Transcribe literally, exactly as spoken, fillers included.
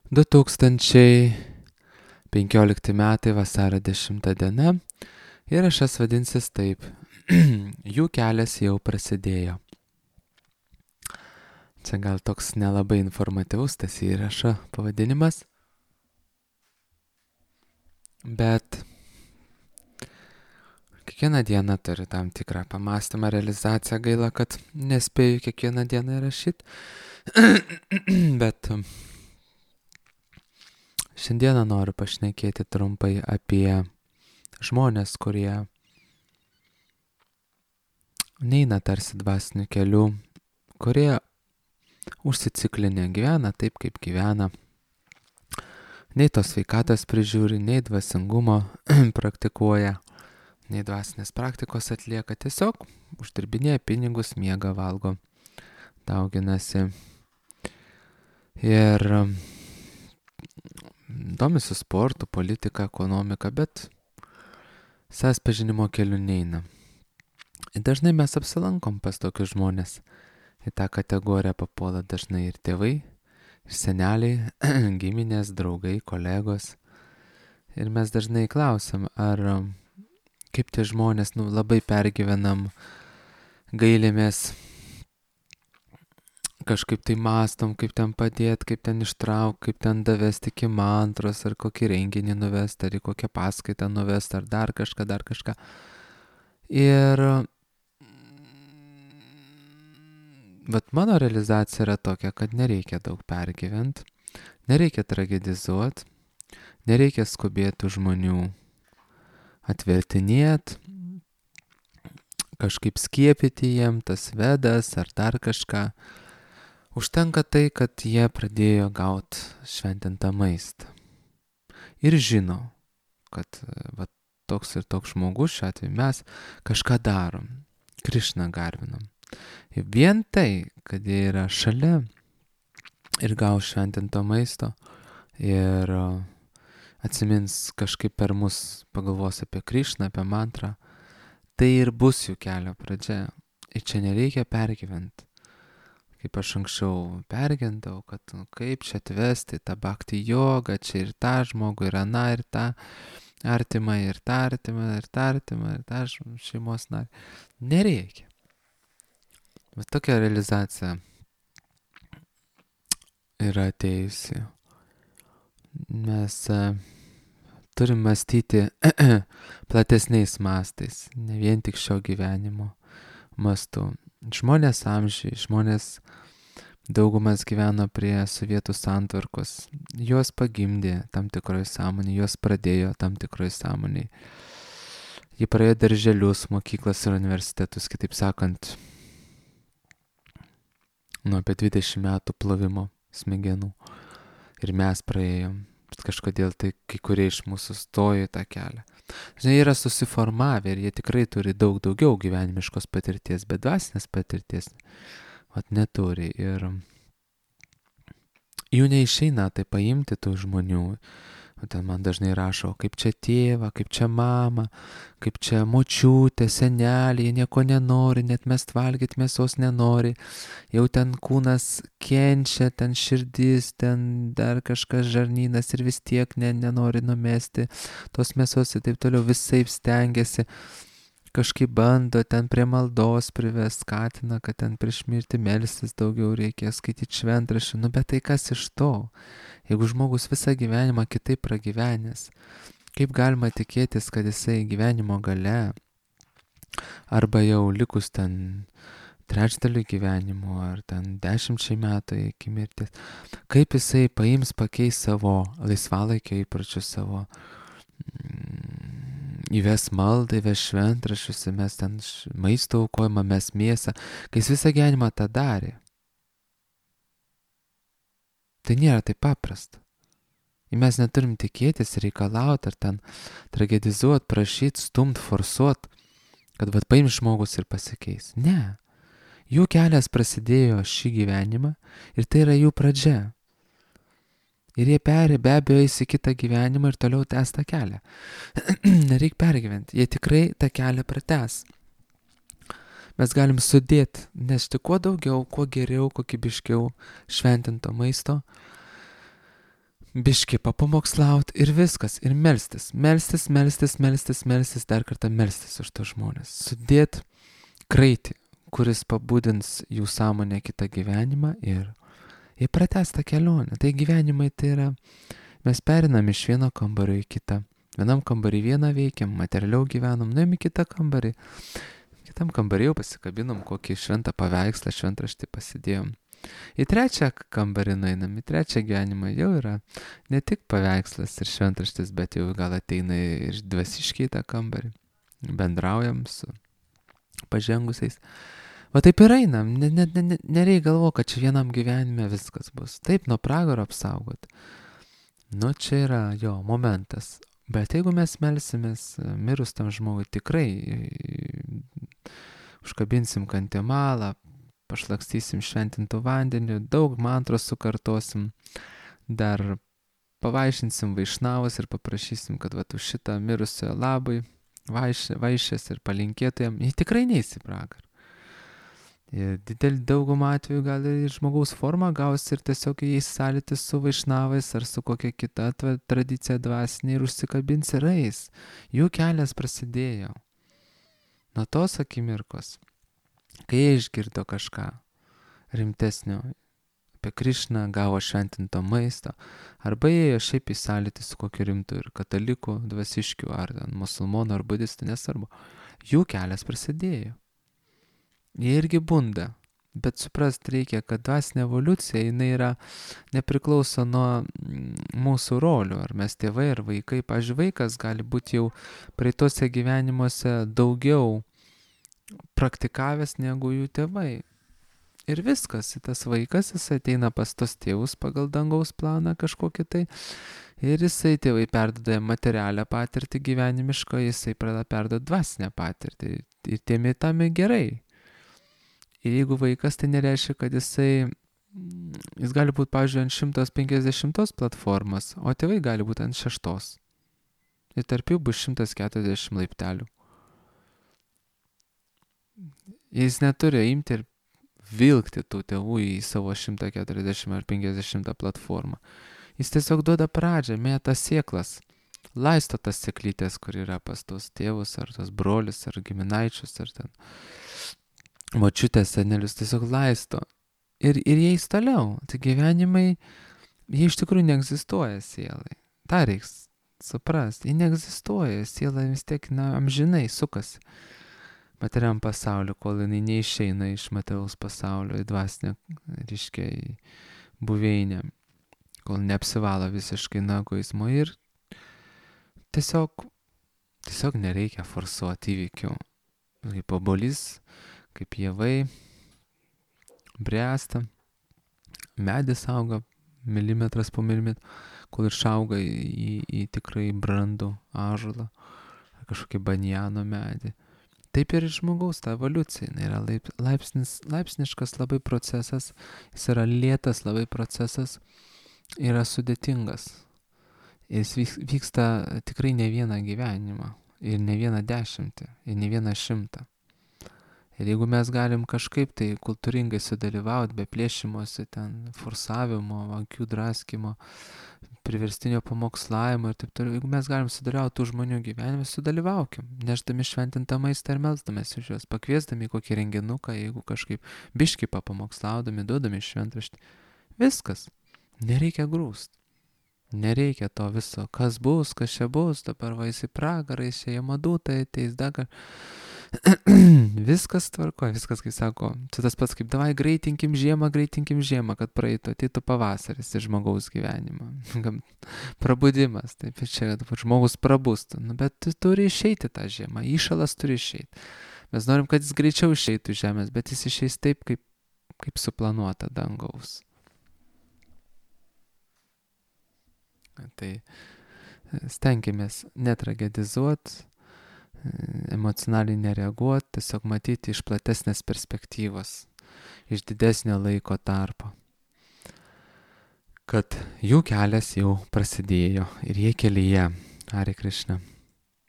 du tūkstančiai penkiolikti metai vasario dešimta diena. Įrašas vadinsis taip. Jų kelias jau prasidėjo. Čia gal toks nelabai informatyvus tas įrašo pavadinimas. Bet kiekvieną dieną turi tam tikrą pamastymą, realizaciją. Gaila, kad nespėju kiekvieną dieną įrašyti. Bet šiandieną noriu pašnekėti trumpai apie žmonės, kurie neina tarsi dvasiniu keliu, kurie užsiciklinę gyvena taip, kaip gyvena. Nei tos sveikatos prižiūri, nei dvasingumo praktikuoja, nei dvasinės praktikos atlieka. Tiesiog uždirbinėja pinigus, miega, valgo, dauginasi. Ir domisi sportu, politika, ekonomika, bet savęs pažinimo keliu neina. Ir dažnai mes apsilankom pas tokius žmonės. Į tą kategoriją papuola dažnai ir tėvai, ir seneliai, giminės, draugai, kolegos. Ir mes dažnai klausiam, ar kaip tie žmonės, nu, labai pergyvenam, gailimės, kažkaip tai mastom, kaip ten padėti, kaip ten ištraukti, kaip ten davesti iki mantros, ar kokį renginį nuvesti, ar į kokią paskaitą nuvesti, ar dar kažką, dar kažką. Ir vat mano realizacija yra tokia, kad nereikia daug pergyventi, nereikia tragedizuoti, nereikia skubėti žmonių atvertinėti, kažkaip skiepyti jiem tas vedas ar dar kažką. Užtenka tai, kad jie pradėjo gauti šventintą maistą. Ir žino, kad va, toks ir toks žmogus, šiuo atveju mes kažką darom, Krišną garbinam. Ir vien tai, kad jie yra šalia ir gaus šventinto maisto ir atsimins kažkaip per mus, pagalvos apie Krišną, apie mantrą, tai ir bus jų kelio pradžia. Ir čia nereikia pergyventi. Kaip aš anksčiau pergindavau, kad nu, kaip čia atvesti tą bhakti jogą, čia ir tą žmogų, ir aną, ir tą artimą, ir tą artimą, ir tą artimą, ir tą šeimos narį. Nereikia. Bet tokia realizacija yra atėjusi. Mes turim mąstyti platesniais mastais, ne vien tik šio gyvenimo mastu. Žmonės amžiai, žmonės daugumas gyveno prie sovietų santvarkos. Juos pagimdė tam tikroje sąmonėje, juos pradėjo tam tikroje sąmonėje. Jie praėjo darželius, mokyklas ir universitetus, kitaip sakant, nuo apie dvidešimt metų plovimo smegenų. Ir mes praėjom. Bet kažkodėl tai kai kurie iš mūsų stojo į tą kelią. Žinai, yra susiformavę ir jie tikrai turi daug daugiau gyvenimiškos patirties, bet dvasinės patirties vat neturi. Ir jų neišeina tai paimti tų žmonių. Ten man dažnai rašo, kaip čia tėva, kaip čia mama, kaip čia močiutė, senelė, jie nieko nenori, net mest valgyti mėsos nenori. Jau ten kūnas kenčia, ten širdis, ten dar kažkas žarnynas ir vis tiek ne, nenori numesti tos mėsos ir taip toliau, visaip stengiasi. Kažkaip bando ten prie maldos privest, skatina, kad ten prieš mirtį melstis daugiau reikia, skaityti šventraštį. Nu, bet tai kas iš to? Jeigu žmogus visą gyvenimą kitaip pragyvenęs, kaip galima tikėtis, kad jisai gyvenimo gale, arba jau likus ten trečdaliui gyvenimo, ar ten dešimčiai metų iki mirties, kaip jisai paims, pakeis savo laisvalaikio įpročius, savo mm, įves maldą, įves šventraščius, mes ten maisto aukojimą, mes mėsą, kai jis visą gyvenimą tą darė. Tai nėra taip paprasta. Ir mes neturim tikėtis, reikalauti, ar ten tragedizuoti, prašyti, stumti, forsuoti, kad vat paims žmogus ir pasikeis. Ne. Jų kelias prasidėjo šį gyvenimą ir tai yra jų pradžia. Ir jie perė, be abejo, eis į kitą gyvenimą ir toliau tęs tą kelią. Nereik pergyventi. Jie tikrai tą kelią pratęs. Mes galim sudėti, nešti kuo daugiau, kuo geriau, kokybiškiau šventinto maisto. biškį papamokslaut ir viskas, ir melstis, melstis, melstis, melstis, melstis, dar kartą melstis už tos žmonės. Sudėt kraitį, kuris pabudins jų sąmonę kitą gyvenimą ir, ir pratęs tą kelionę. Tai gyvenimai tai yra, mes perinam iš vieno kambario į kitą. Vienam kambarį vieną veikiam, materialiau gyvenam, nuėjom į kitą kambarį. Kitam kambarį jau pasikabinom kokį šventą paveikslą, šventraštį pasidėjom. Į trečią kambarį nueinam, į trečią gyvenimą jau yra ne tik paveikslas ir šventraštis, bet jau gal ateina ir dvasiškiai tą kambarį. Bendraujam su pažengusiais. O taip ir einam, ne, ne, ne, nereikia galvo, kad čia vienam gyvenime viskas bus. Taip, nuo pragaro apsaugot. Nu, čia yra jo momentas. Bet jeigu mes melsimės mirus tam žmogui, tikrai užkabinsim kantimalą, pašlakstysim šventintų vandeniu, daug mantros sukartosim, dar pavaišinsim vaišnavus ir paprašysim, kad vat už šitą mirusiojo labai vaiš, vaišės ir palinkėtų jam, jie tikrai neis į pragarą. Ir didelį daugumą atveju gal ir žmogaus forma gaus ir tiesiog jais sąlytis su vaišnavais ar su kokia kita tradicija dvasinė ir užsikabins ir eis. Jų kelias prasidėjo. Nuo tos akimirkos, kai jie išgirdo kažką rimtesnio apie Krišną, gavo šventinto maisto, arba jie šiaip į sąlytį su kokiu rimtu ir katalikų, dvasiškių, ar musulmonų, ar budistų, nesvarbu. Jų kelias prasidėjo. Jie irgi bunda, bet suprast reikia, kad dvasinė evoliucija, jinai yra nepriklauso nuo mūsų rolių, ar mes tėvai, ar vaikai. Pavyzdžiui, vaikas gali būti jau praeitose gyvenimuose daugiau praktikavęs negu jų tėvai. Ir viskas, tas vaikas, jis ateina pas tos tėvus pagal dangaus planą kažkokį tai, ir jisai tėvai perduoda materialią patirtį gyvenimišką, jisai pradeda perduoti dvasinę patirtį. Ir tėmi tam gerai. Ir jeigu vaikas, tai nereiškia, kad jisai, jis gali būti, pavyzdžiui, ant šimtas penkiasdešimtos platformos, o tėvai gali būti ant šeštos. Ir tarp jų bus šimtas keturiasdešimt laiptelių. Jis neturi imti ir vilkti tų tėvų į savo šimtą keturiasdešimt ar penkiasdešimtą platformą. Jis tiesiog duoda pradžią, mėta sėklas, laisto tas sėklytės, kur yra pas tos tėvus, ar tos brolius, ar giminaičius, ar ten močiutės, senelius, tiesiog laisto. Ir, ir jie eis toliau. Tai gyvenimai, jie iš tikrųjų neegzistuoja sielai. Ta reiks suprast. Jie neegzistuoja. Siela vis tiek, na, amžinai sukasi materiam pasauliu, kol jinai neišeina iš materiaus pasaulio į dvasinę, reiškia, į buveinę. Kol neapsivalo visiškai nuo egoizmo. Ir tiesiog, tiesiog nereikia forsuoti įvykių. Kaip obuolys, kaip javai bręsta, medis auga milimetras po milimetrą, kol išauga į, į tikrai brandų ąžuolą, ar kažkokį banjano medį. Taip ir žmogaus ta evoliucija, jinai yra laip, laipsnis, laipsniškas labai procesas, jis yra lėtas labai procesas, yra sudėtingas. Jis vyksta tikrai ne vieną gyvenimą, ir ne vieną dešimtį, ir ne vieną šimtą. Ir jeigu mes galim kažkaip tai kultūringai sudalyvauti, be plėšimosi, ten forsavimo, akių draskimo, priverstinio pamokslavimo ir taip toliau, jeigu mes galim sudalyvauti tų žmonių gyvenime, sudalyvaukim, neždami šventintą maistą ir melsdamės iš juos, pakviesdami kokį renginuką, jeigu kažkaip biškį papamokslaudami, duodami šventraštį. Viskas, nereikia grūst. Nereikia to viso, kas bus, kas čia bus, dabar va į pragarą, čia jamadūtai ateis, dagar. Viskas tvarko, viskas, kaip sako, čia tas pats kaip davai greitinkim žiemą, greitinkim žiemą, kad praeitų, ateitų pavasaris į žmogaus gyvenimą. Prabudimas, taip čia, kad žmogus prabustų, nu, bet turi išeiti tą žiemą, įšalas turi išeiti. Mes norim, kad jis greičiau išeitų iš žemės, bet jis išeis taip, kaip, kaip suplanuota dangaus. Tai stenkimės netragedizuoti, emocionaliai nereaguoti, tiesiog matyti iš platesnės perspektyvos, iš didesnio laiko tarpo, kad jų kelias jau prasidėjo ir jie kelyje. Hare Krishna.